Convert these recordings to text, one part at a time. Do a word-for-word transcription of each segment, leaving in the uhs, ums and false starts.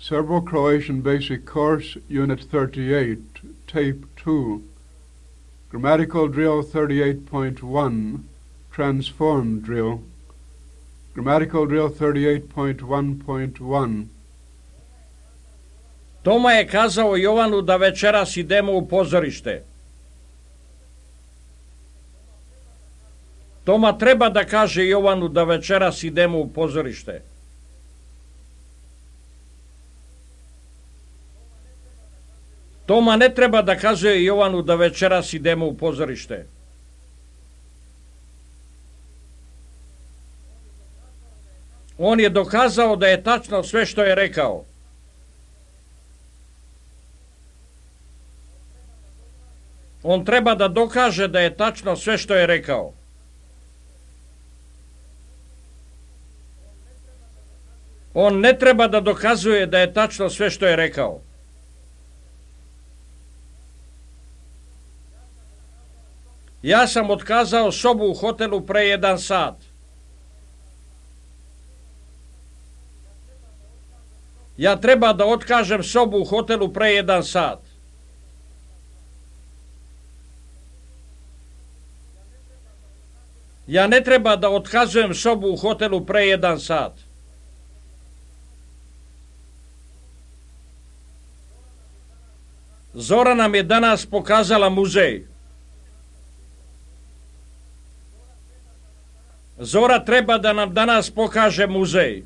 Serbo-Croatian Basic Course, Unit thirty-eight, Tape two. Grammatical Drill thirty-eight point one, Transformed Drill. Grammatical Drill thirty-eight point one point one. Toma je kazao Jovanu da večeras idemo u pozorište. Toma treba da kaže Jovanu da večeras idemo u pozorište. Toma ne treba da kazuje Jovanu da večeras idemo u pozorište. On je dokazao da je tačno sve što je rekao. On treba da dokaže da je tačno sve što je rekao. On ne treba da dokazuje da je tačno sve što je rekao. Ja sam otkazao sobu u hotelu pre jedan sat. Ja treba da otkažem sobu u hotelu pre jedan sat. Ja ne treba da otkazujem sobu u hotelu pre jedan sat. Zora nam je danas pokazala muzej. Zora treba da nam danas pokaže muzej.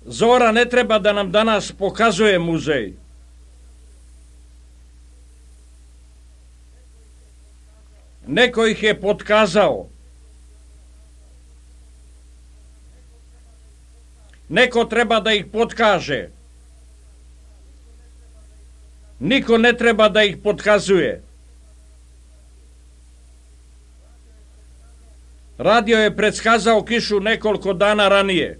Zora ne treba da nam danas pokazuje muzej. Neko ih je potkazao. Neko treba da ih potkaže. Niko ne treba da ih potkazuje. Radio je predskazao kišu nekoliko dana ranije.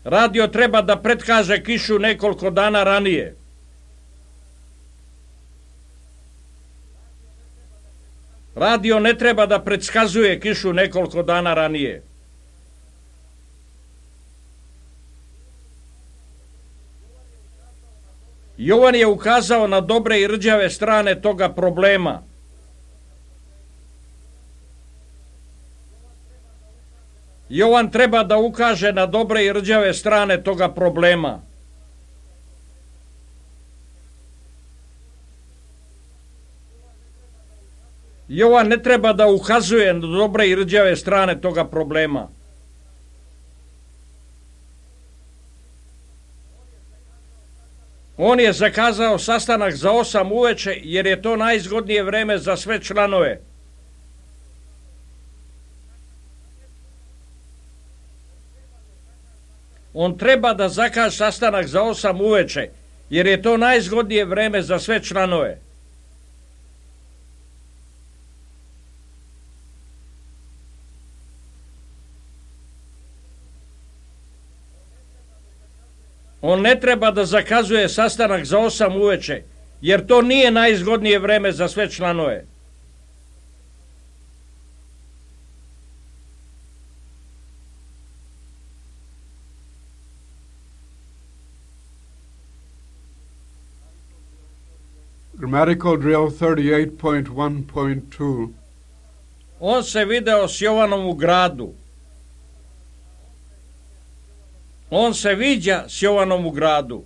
Radio treba da predkaže kišu nekoliko dana ranije. Radio ne treba da predskazuje kišu nekoliko dana ranije. Jovan je ukazao na dobre i rđave strane toga problema. Jovan treba da ukaže na dobre i rđave strane toga problema. Jovan ne treba da ukazuje na dobre i rđave strane toga problema. On je zakazao sastanak za osam uveče jer je to najzgodnije vreme za sve članove. On treba da zakaže sastanak za osam uveče jer je to najzgodnije vreme za sve članove. On ne treba da zakazuje sastanak za osam uveče, jer to nije najzgodnije vreme za sve članove. Grammatical Drill thirty-eight point one point two. On se video s Jovanom u gradu. On se viđa s Jovanom u gradu.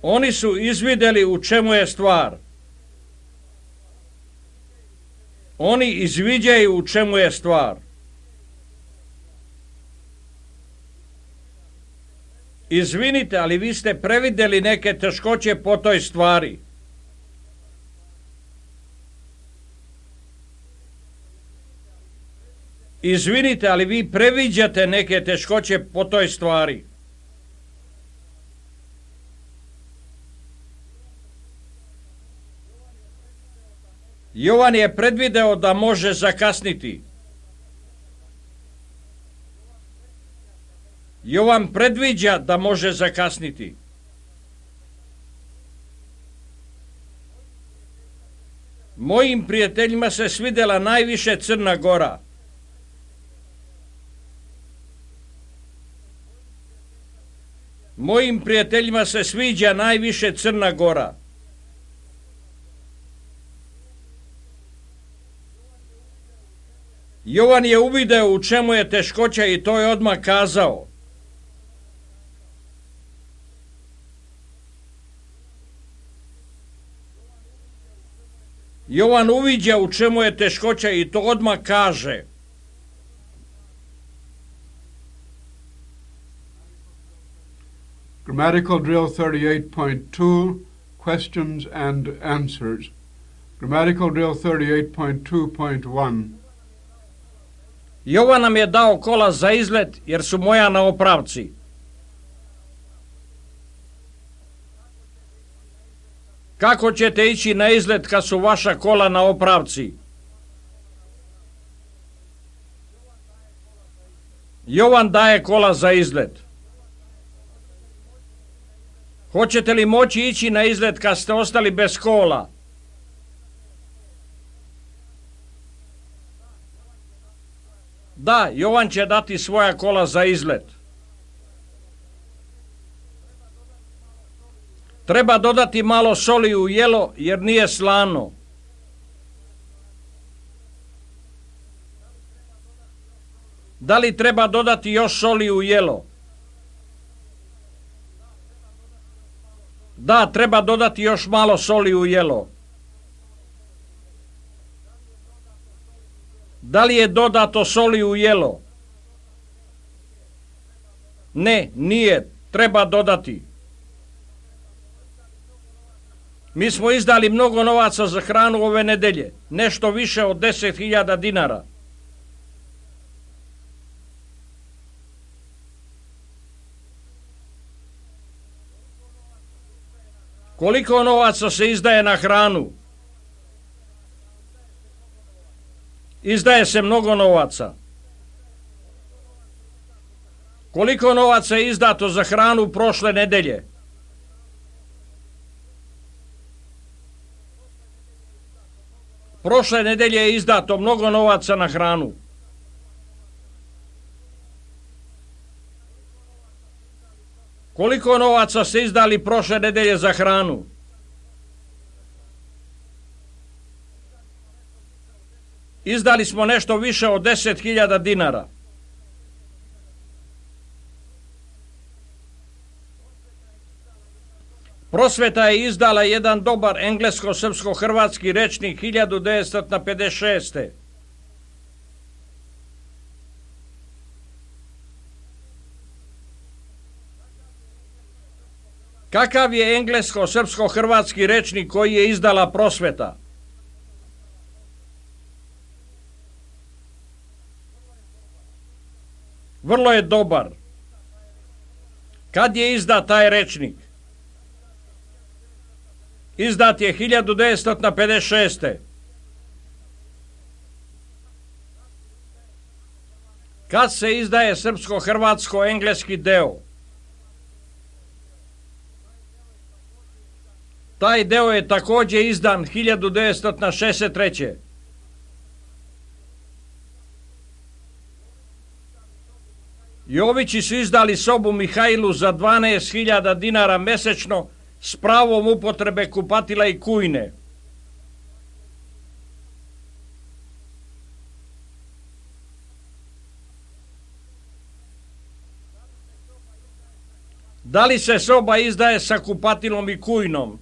Oni su izvideli u čemu je stvar. Oni izviđaju u čemu je stvar. Izvinite, ali vi ste prevideli neke teškoće po toj stvari. Izvinite, ali vi previđate neke teškoće po toj stvari. Jovan je predvideo da može zakasniti. Jovan predviđa da može zakasniti. Mojim prijateljima se svidjela najviše Crna Gora. Mojim prijateljima se sviđa najviše Crna Gora. Jovan je uvideo u čemu je teškoća i to je odmah kazao. Jovan uviđa u čemu je teškoća i to odmah kaže. Grammatical drill thirty-eight point two, questions and answers. Grammatical drill thirty-eight point two point one. Jovan nam je dao kola za izlet jer su moja na opravci. Kako ćete ići na izlet kad su vaša kola na opravci? Jovan daje kola za izlet. Hoćete li moći ići na izlet kad ste ostali bez kola? Da, Jovan će dati svoja kola za izlet. Treba dodati malo soli u jelo jer nije slano. Da li treba dodati još soli u jelo? Da, treba dodati još malo soli u jelo. Da li je dodato soli u jelo? Ne, nije. Treba dodati. Mi smo izdali mnogo novaca za hranu ove nedelje. Nešto više od deset hiljada dinara. Koliko novaca se izdaje na hranu? Izdaje se mnogo novaca. Koliko novaca je izdato za hranu prošle nedelje? Prošle nedelje je izdato mnogo novaca na hranu. Koliko novaca ste izdali prošle nedelje za hranu? Izdali smo nešto više od deset hiljada dinara. Prosveta je izdala jedan dobar englesko-srpsko-hrvatski rečnik hiljadu devetsto pedeset šeste. Kakav je englesko-srpsko-hrvatski rečnik koji je izdala Prosveta? Vrlo je dobar. Kad je izdat taj rečnik? Izdat je hiljadu devetsto pedeset šeste. Kad se izdaje srpsko-hrvatsko-engleski deo? Taj deo je također izdan hiljadu devetsto šezdeset treće. Jovići su izdali sobu Mihajlu za dvanaest hiljada dinara mesečno s pravom upotrebe kupatila i kujne. Da li se soba izdaje sa kupatilom i kujnom?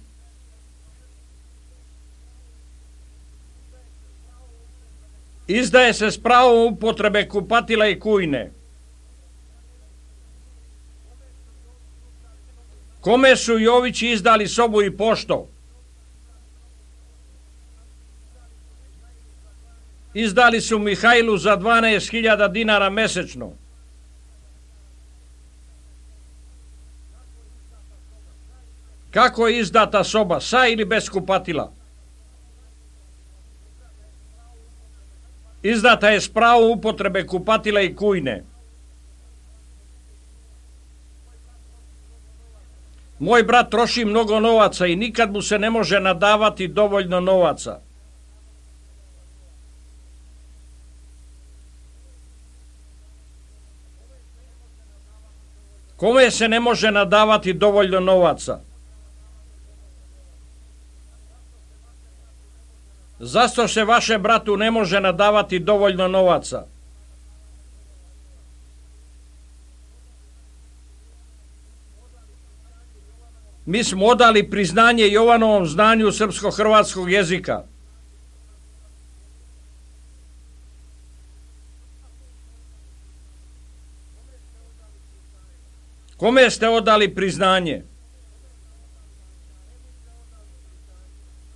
Izdaje se s pravom upotrebe kupatila i kujne. Kome su Jovići izdali sobu i pošto? Izdali su Mihajlu za dvanaest hiljada dinara mesečno. Kako je izdata soba, sa ili bez kupatila? Izdata je s pravom upotrebe kupatila i kujne. Moj brat troši mnogo novaca i nikad mu se ne može nadavati dovoljno novaca. Kome se ne može nadavati dovoljno novaca? Zašto se vašem bratu ne može nadavati dovoljno novaca? Mi smo odali priznanje Jovanovom znanju srpsko-hrvatskog jezika. Kome ste odali priznanje?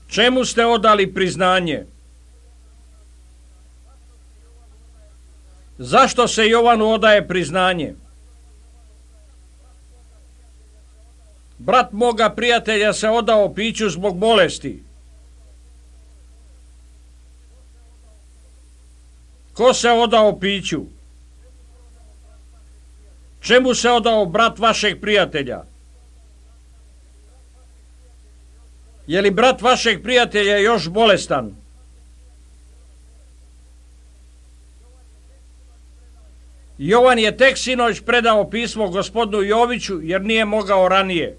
Čemu ste odali priznanje? Zašto se Jovanu odaje priznanje? Brat moga prijatelja se odao piću zbog bolesti. Ko se odao piću? Čemu se odao brat vašeg prijatelja? Je li brat vašeg prijatelja još bolestan? Jovan je tek sinoć predao pismo gospodinu Joviću jer nije mogao ranije.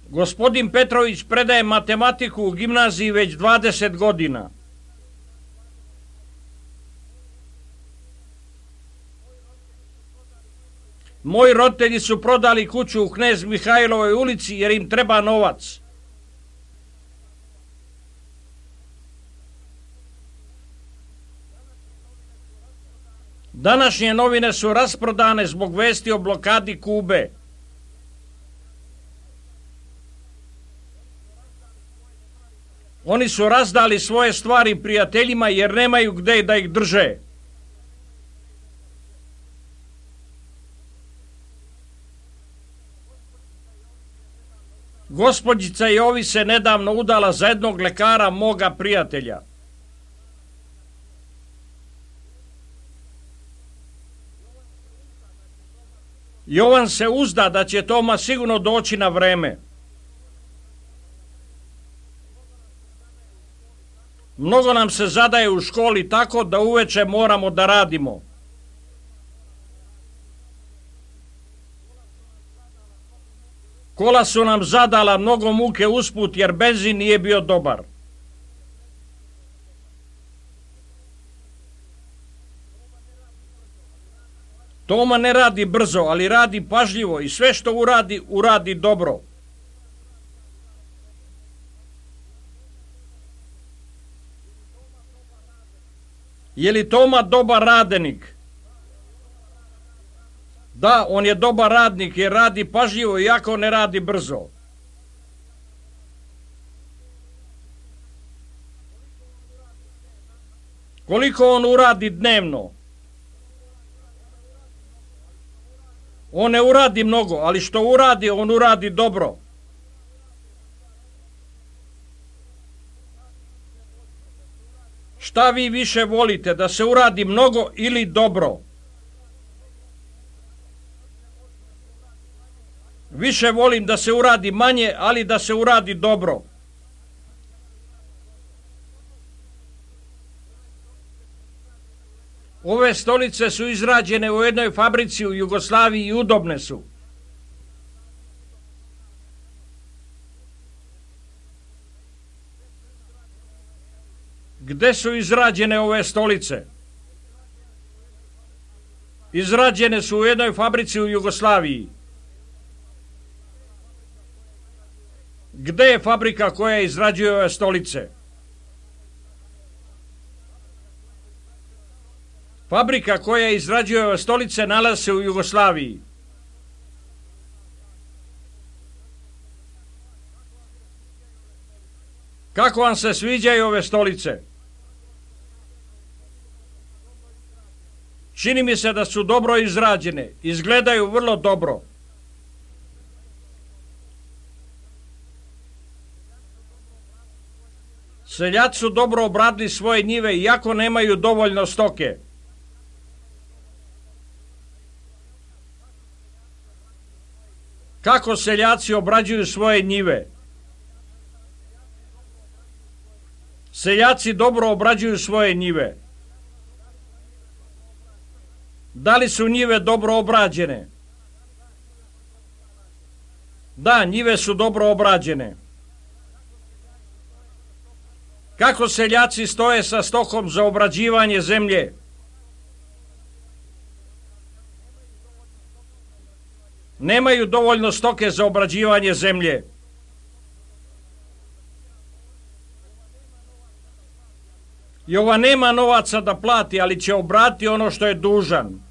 Gospodin Petrović predaje matematiku u gimnaziji već dvadeset godina. Moji roditelji su prodali kuću u Knez Mihajlovoj ulici jer im treba novac. Današnje novine su rasprodane zbog vesti o blokadi Kube. Oni su razdali svoje stvari prijateljima jer nemaju gde da ih drže. Gospođica Jovi se nedavno udala za jednog lekara moga prijatelja. Jovan se uzda da će Toma sigurno doći na vreme. Mnogo nam se zadaje u školi tako da uveče moramo da radimo. Kola su nam zadala mnogo muke usput jer benzin nije bio dobar. Toma ne radi brzo, ali radi pažljivo i sve što uradi, uradi dobro. Je li Toma dobar radenik? Da, on je dobar radnik jer radi pažljivo iako ne radi brzo. Koliko on uradi dnevno? On ne uradi mnogo, ali što uradi, on uradi dobro. Šta vi više volite, da se uradi mnogo ili dobro? Više volim da se uradi manje, ali da se uradi dobro. Ove stolice su izrađene u jednoj fabrici u Jugoslaviji i udobne su. Gde su izrađene ove stolice? Izrađene su u jednoj fabrici u Jugoslaviji. Gde je fabrika koja izrađuje ove stolice? Fabrika koja izrađuje ove stolice nalazi se u Jugoslaviji. Kako vam se sviđaju ove stolice? Čini mi se da su dobro izrađene, izgledaju vrlo dobro. Seljaci su dobro obradili svoje njive iako nemaju dovoljno stoke. Kako seljaci obrađuju svoje njive? Seljaci dobro obrađuju svoje njive. Da li su njive dobro obrađene? Da, njive su dobro obrađene. Kako seljaci stoje sa stokom za obrađivanje zemlje? Nemaju dovoljno stoke za obrađivanje zemlje. I ova nema novaca da plati, ali će obratiti ono što je dužan.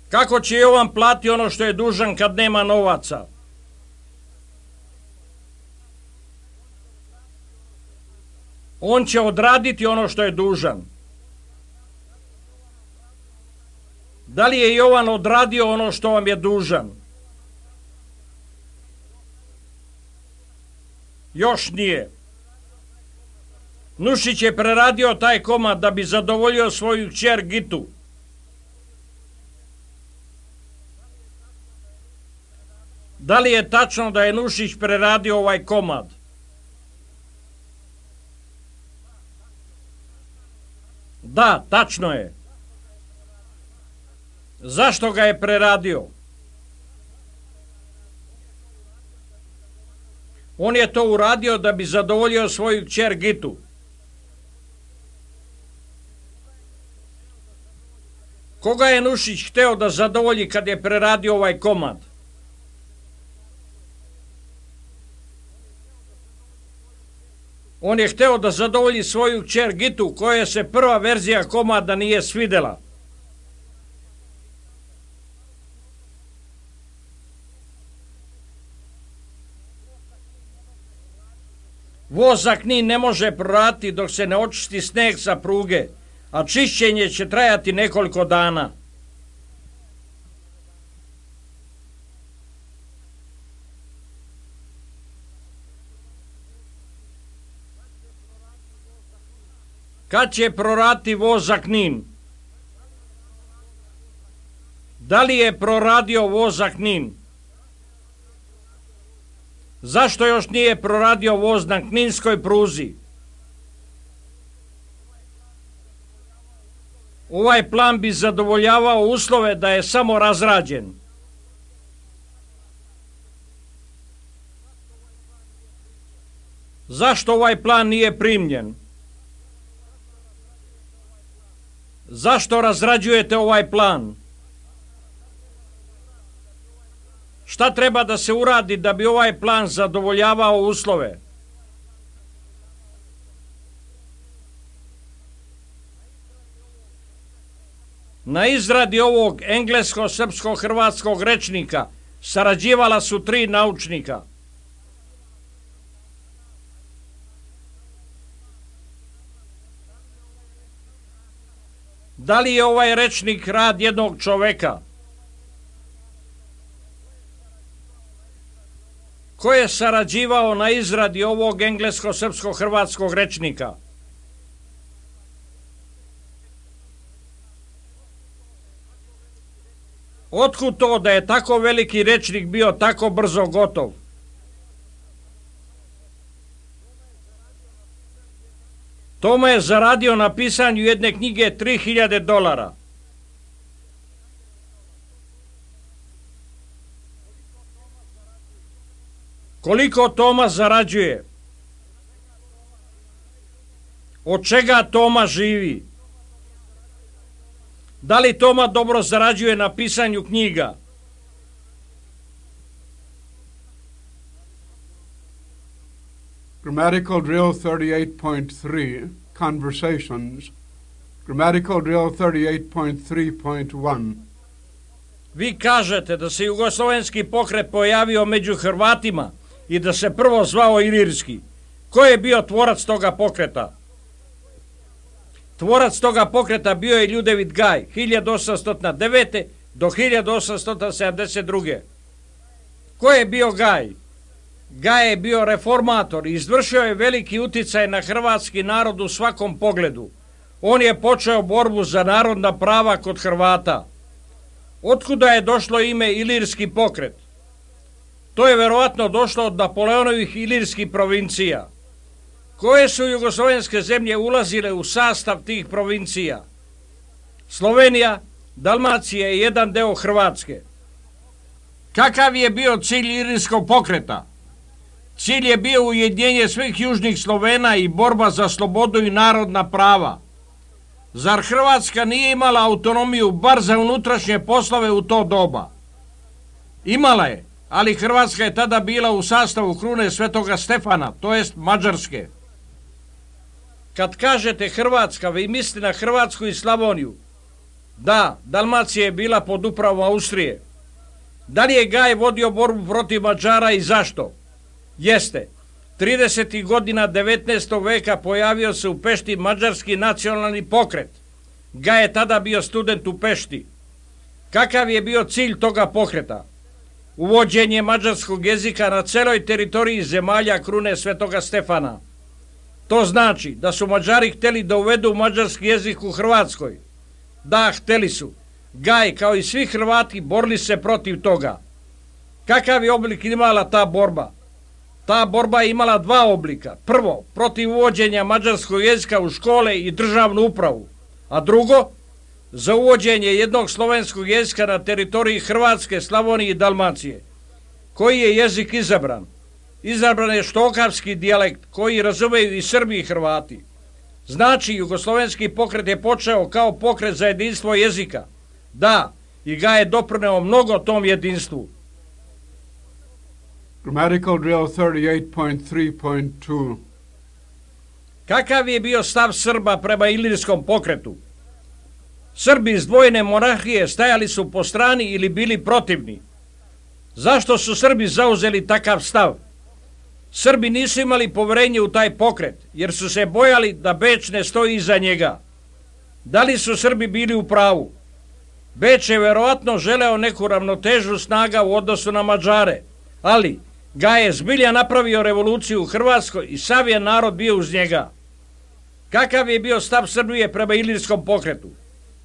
Kako će Jovan plati ono što je dužan kad nema novaca? On će odraditi ono što je dužan. Da li je Jovan odradio ono što vam je dužan? Još nije. Nušić je preradio taj komad da bi zadovoljio svoju kćer Gitu. Da li je tačno da je Nušić preradio ovaj komad? Da, tačno je. Zašto ga je preradio? On je to uradio da bi zadovoljio svoju kćer Gitu. Koga je Nušić hteo da zadovolji kad je preradio ovaj komad? On je hteo da zadovolji svoju kćer Gitu, koja se prva verzija komada nije svidela. Voz za Knin ne može proraditi dok se ne očisti sneg sa pruge, a čišćenje će trajati nekoliko dana. Kad će proraditi voz za Knin? Da li je proradio voz za Knin? Zašto još nije proradio voz na kninskoj pruzi? Ovaj plan bi zadovoljavao uslove da je samo razrađen. Zašto ovaj plan nije primljen? Zašto razrađujete ovaj plan? Šta treba da se uradi da bi ovaj plan zadovoljavao uslove? Na izradi ovog englesko-srpsko-hrvatskog rečnika sarađivala su tri naučnika. Da li je ovaj rečnik rad jednog čoveka? Ko je sarađivao na izradi ovog englesko-srpsko-hrvatskog rečnika? Otkud to da je tako veliki rečnik bio tako brzo gotov? Toma je zaradio na pisanju jedne knjige tri hiljade dolara. Koliko Toma zarađuje? Od čega Toma živi? Da li Toma dobro zarađuje na pisanju knjiga? Grammatical drill thirty-eight point three, conversations. Grammatical drill thirty-eight point three point one. Vi kažete da se jugoslovenski pokret pojavio među Hrvatima i da se prvo zvao Ilirski. Ko je bio tvorac toga pokreta? Tvorac toga pokreta bio je Ljudevit Gaj, hiljadu osamsto devete. do hiljadu osamsto sedamdeset druge. Ko je bio Gaj? Gaj je bio reformator i izvršio je veliki uticaj na hrvatski narod u svakom pogledu. On je počeo borbu za narodna prava kod Hrvata. Otkuda je došlo ime Ilirski pokret? To je verovatno došlo od Napoleonovih ilirskih provincija. koje su jugoslovenske zemlje ulazile u sastav tih provincija? Slovenija, Dalmacija i jedan deo Hrvatske. Kakav je bio cilj Ilirskog pokreta? Cilj je bio ujedinjenje svih južnih Slovena i borba za slobodu i narodna prava. Zar Hrvatska nije imala autonomiju bar za unutrašnje poslove u to doba? Imala je, ali Hrvatska je tada bila u sastavu krune Svetoga Stefana, to jest Mađarske. Kad kažete Hrvatska, vi mislite na Hrvatsku i Slavoniju. Da, Dalmacija je bila pod upravom Austrije. Da li je Gaj vodio borbu protiv Mađara i zašto? Jeste. tridesetih godina devetnaestog veka pojavio se u Pešti mađarski nacionalni pokret. Gaj je tada bio student u Pešti. Kakav je bio cilj toga pokreta? Uvođenje mađarskog jezika na celoj teritoriji zemalja krune Svetoga Stefana. To znači da su Mađari hteli da uvedu mađarski jezik u Hrvatskoj. Da, hteli su. Gaj, kao i svi Hrvati, borili se protiv toga. Kakav je oblik imala ta borba? Ta borba je imala dva oblika. Prvo, protiv uvođenja mađarskog jezika u škole i državnu upravu. A drugo, za uvođenje jednog slovenskog jezika na teritoriji Hrvatske, Slavonije i Dalmacije. Koji je jezik izabran? Izabran je štokavski dijalekt koji razumeju i Srbi i Hrvati. Znači, jugoslovenski pokret je počeo kao pokret za jedinstvo jezika. Da, i Gaj je doprineo mnogo tom jedinstvu. Grammatical drill thirty-eight point three point two. Kakav je bio stav Srba prema Ilirskom pokretu? Srbi iz dvojne monarhije stajali su po strani ili bili protivni. Zašto su Srbi zauzeli takav stav? Srbi nisu imali poverenje u taj pokret, jer su se bojali da Beč ne stoji iza njega. Da li su Srbi bili u pravu? Beč je verovatno želeo neku ravnotežu snaga u odnosu na Mađare, ali Gaj je zbilja napravio revoluciju u Hrvatskoj i sav je narod bio uz njega. Kakav je bio stav Srbije prema Ilirskom pokretu?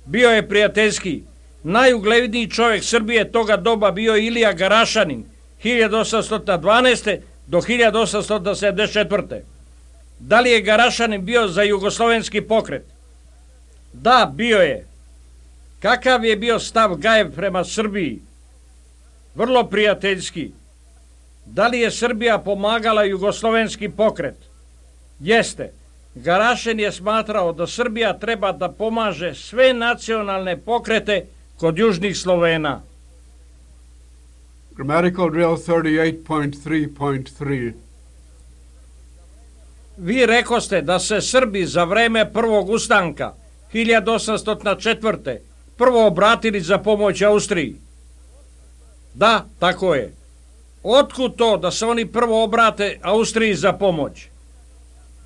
Bio je prijateljski. Najugledniji čovjek Srbije toga doba bio Ilija Garašanin, hiljadu osamsto dvanaeste. do hiljadu osamsto sedamdeset četvrte. Da li je Garašanin bio za jugoslovenski pokret? Da, bio je. Kakav je bio stav Gajev prema Srbiji? Vrlo prijateljski. Da li je Srbija pomagala jugoslovenski pokret? Jeste. Garašin je smatrao da Srbija treba da pomaže sve nacionalne pokrete kod južnih Slovena. Grammatical drill thirty-eight point three point three. Vi rekoste da se Srbi za vreme prvog ustanka hiljadu osamsto četvrte. prvo obratili za pomoć Austriji. Da, tako je. Otkud to da se oni prvo obrate Austriji za pomoć?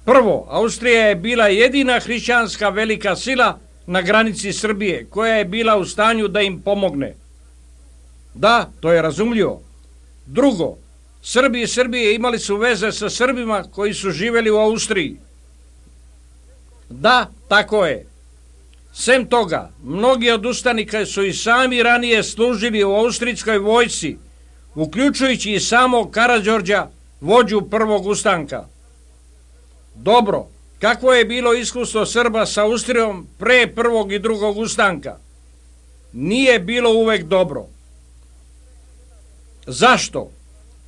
Prvo, Austrija je bila jedina hrišćanska velika sila na granici Srbije koja je bila u stanju da im pomogne. Da, to je razumljivo. Drugo, Srbi i Srbije imali su veze sa Srbima koji su živjeli u Austriji. Da, tako je. Sem toga, mnogi od ustanika su i sami ranije služili u austrijskoj vojsci, uključujući i samog Karađorđa, vođu prvog ustanka. Dobro, kakvo je bilo iskustvo Srba sa Austrijom pre prvog i drugog ustanka? Nije bilo uvek dobro. Zašto?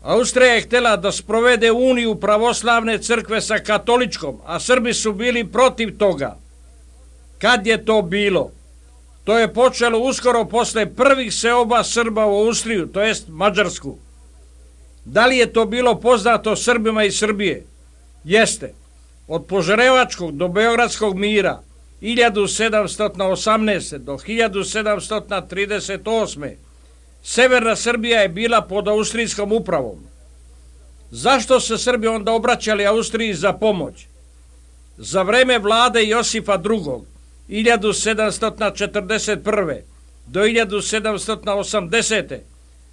Austrija je htjela da sprovede uniju pravoslavne crkve sa katoličkom, a Srbi su bili protiv toga. Kad je to bilo? To je počelo uskoro posle prvih seoba Srba u Austriju, to jest Mađarsku. Da li je to bilo poznato Srbima iz Srbije? Jeste. Od Požarevačkog do Beogradskog mira hiljadu sedamsto osamnaeste. do hiljadu sedamsto trideset osme. Severna Srbija je bila pod austrijskom upravom. Zašto se Srbi onda obraćali Austriji za pomoć? Za vreme vlade Josipa drugog. hiljadu sedamsto četrdeset prve. do hiljadu sedamsto osamdesete.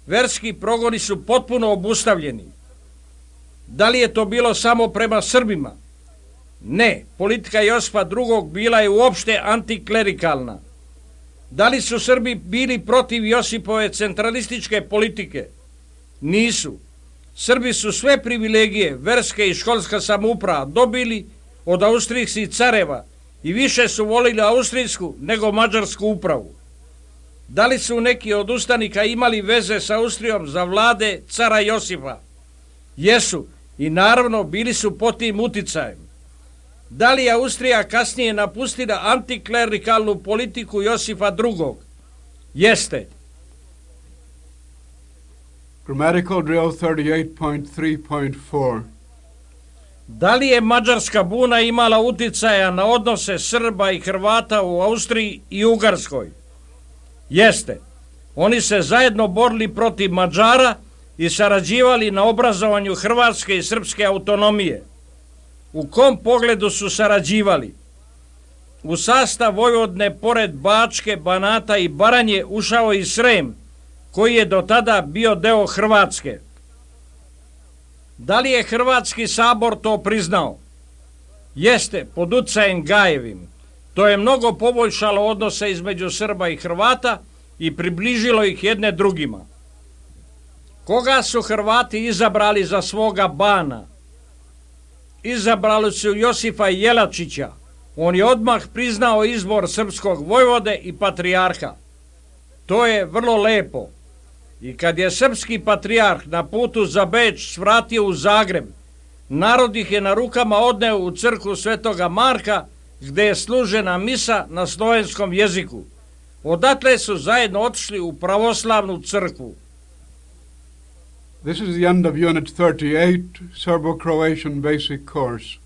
verski progoni su potpuno obustavljeni. Da li je to bilo samo prema Srbima? Ne, politika Josipa drugog bila je uopšte antiklerikalna. Da li su Srbi bili protiv Josipove centralističke politike? Nisu. Srbi su sve privilegije, verske i školska samouprava dobili od austrijskih careva i više su volili austrijsku nego mađarsku upravu. Da li su neki od ustanika imali veze sa Austrijom za vlade cara Josipa? Jesu i naravno bili su pod tim uticajem. Da li je Austrija kasnije napustila antiklerikalnu politiku Josipa drugog? Jeste. Grammatical drill thirty-eight point three point four. Da li je mađarska buna imala uticaja na odnose Srba i Hrvata u Austriji i Ugarskoj? Jeste. Oni se zajedno borili protiv Mađara i sarađivali na obrazovanju hrvatske i srpske autonomije. U kom pogledu su sarađivali? U sastav Vojvodne pored Bačke, Banata i Baranje ušao i Srem, koji je do tada bio deo Hrvatske. Da li je Hrvatski sabor to priznao? Jeste, pod utjecajem Gajevim. To je mnogo poboljšalo odnose između Srba i Hrvata i približilo ih jedne drugima. Koga su Hrvati izabrali za svoga bana? Izabrali su Josipa Jelačića. On je odmah priznao izbor srpskog vojvode i patrijarha. To je vrlo lepo. I kad je srpski patrijarh na putu za Beč svratio u Zagreb, narod ih je na rukama odneo u crkvu Svetoga Marka, gde je služena misa na slovenskom jeziku. Odatle su zajedno otišli u pravoslavnu crkvu. This is the end of Unit thirty-eight, Serbo-Croatian Basic Course.